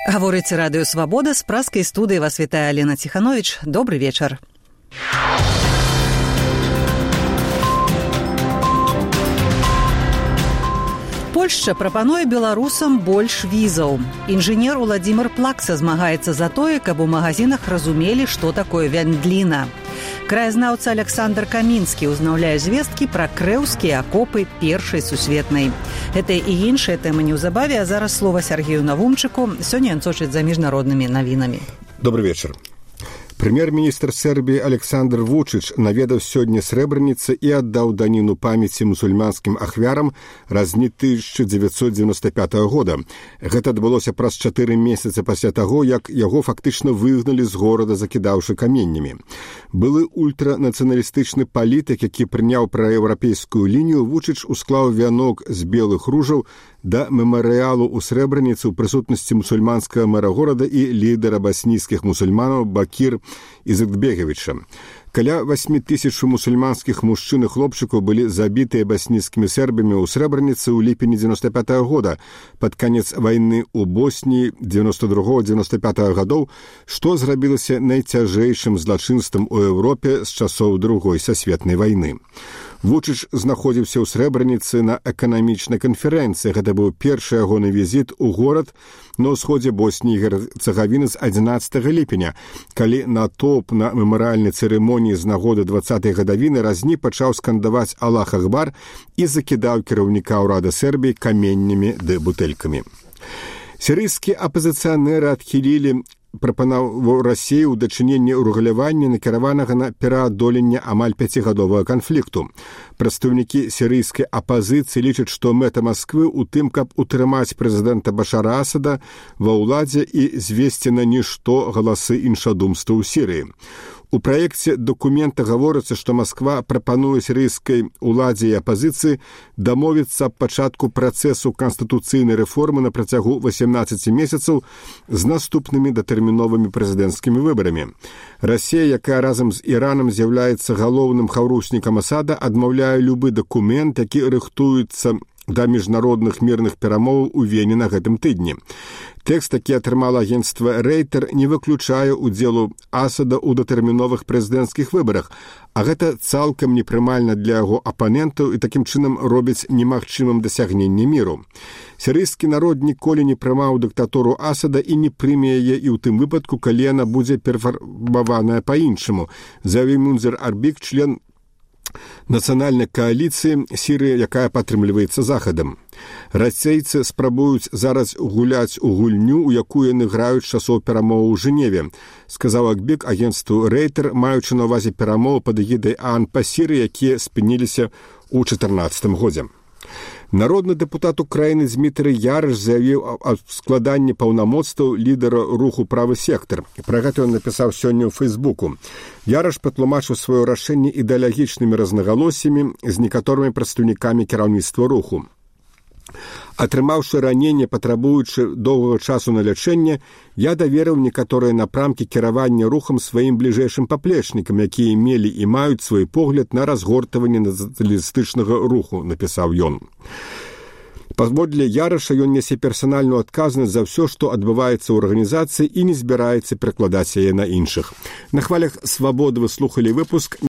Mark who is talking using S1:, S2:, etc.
S1: Гаворыць радыё «Свабода», з праскай студыі вас вітае Алена Ціхановіч. Добры вечар. Польшча прапануе беларусам больш візаў. Інжынер Уладзімір Плакса змагаецца за тое, каб у магазинах разумелі, што такое вяндліна. Краязнаўца Александр Камінскі ўзнаўляе звесткі пра крэўскія акопы Першай сусветнай. Гэта і іншыя тэмы неўзабаве, а зараз слова Сергею Навумчыку. Сёння ён сочыць за міжнароднымі навінамі.
S2: Добрый вечер. Прэм'ер-міністр Сербіі Александр Вучыч наведаў сёння Срэбраніцы і аддаў даніну памяці мусульманскім ахвярам разні 1995 года. Гэта адбылося праз 4 месяцы пасля таго, як яго фактычна выгналі з горада, закідаўшы каменнямі. Былы ультранацыяналістычны палітык, які прыняў праеўрапейскую лінію, Вучыч усклаў вянок з белых ружаў да мемарыялу ў Срэбраніцы ў прысутнасці мусульманскага мэра горада і лідара баснійскіх мусульманаў Бакір Ізетбегевіча. Каля 8 тысяч мусульманскіх мужчын і хлопчыкаў былі забітыя баснійскімі сербамі ў Срэбраніцы ў ліпені 95 года, пад канец вайны ў Босніі 92-95 гадоў, што зрабілася найцяжэйшым злачынствам у Еўропе з часоў Другой сасветнай вайны. Вучыч знаходзіўся ў Срэбраніцы на эканамічнай канферэнцыі. Гэта быў першы ягоны візіт у горад на ўсходзе Босніі і Герцагавіны з 11 ліпеня, калі натоўп на мемарыяльнай цырымоніі з нагоды 20-й гадавіны разні пачаў скандаваць «Аллах Акбар» і закідаў кіраўніка ўрада Сербіі каменнямі ды бутэлькамі. Сірыйскія апазіцыянеры адхілілі прапанову Расіі ў дачыненні ўрэгулявання, накіраванага на пераадоленне амаль 5гадовага канфлікту. Прадстаўнікі сірыйскай апазіцыі лічаць, што мэта Масквы ў тым, каб утрымаць прэзідэнта Башара Асада ва ўладзе і звесці на нішто галасы іншадумства ў Сірыі. У праекце дакумента гаворыцца, што Масква прапануе сірыйскай уладзе і апазіцыі дамовіцца аб пачатку працэсу канстытуцыйнай рэформы на працягу 18 месяцаў з наступнымі датэрміновымі прэзідэнцкімі выбарамі. Расія, якая разам з Іранам з'яўляецца галоўным хаўруснікам Асада, адмаўляе любы дакумент, які рыхтуецца да міжнародных мірных перамоваў у Вене на гэтым тыдні. Тэкст, які атрымала агенцтва Рейтер, не выключае удзелу Асада ў датэрміновых прэзідэнцкіх выбарах, а гэта цалкам непрымальна для яго апанентаў і такім чынам робіць немагчымым дасягненне міру. Сірыйскі народ ніколі не прымаў дыктатуру Асада і не прыме яе і ў тым выпадку, калі яна будзе перафарбаваная па-іншаму, заявіў Мунзер Арбік, член нацыянальнай кааліцыі Сірыі, якая падтрымліваецца Захадам. Расейцы спрабуюць зараз гуляць у гульню, у якую яны граюць часоў перамоваў у Жэневе, сказаў Акбік агенцтву Рейтер, маючы на ўвазе перамовы пад эгідай ААН па Сірыі, якія спыніліся ў 2014 годзе. Народны дэпутат Украіны Дзмітрый Ярыш заявіў аб складанні паўнамоцтваў лідара руху «Правы сектар». Пра гэта ён напісаў сёння ў Фейсбуку. Ярыш патлумачыў сваё рашэнне ідэалагічнымі рознагалоссямі з некаторымі прадстаўнікамі кіраўніцтва руху. Атрымаўшы раненне, патрабуючы доўгага часу на лячэнне, я даверыў некаторыя напрамкі кіравання рухам сваім бліжэйшым паплечнікам, якія мелі і маюць свой погляд на разгортванне нацыяналістычнага руху, напісаў ён. Паводле Ярыша ён нясе персанальную адказнасць за ўсё, што адбываецца ў арганізацыі і не збіраецца перакладаць яе на іншых. На хвалях «Свабоды» вы слухалі выпуск.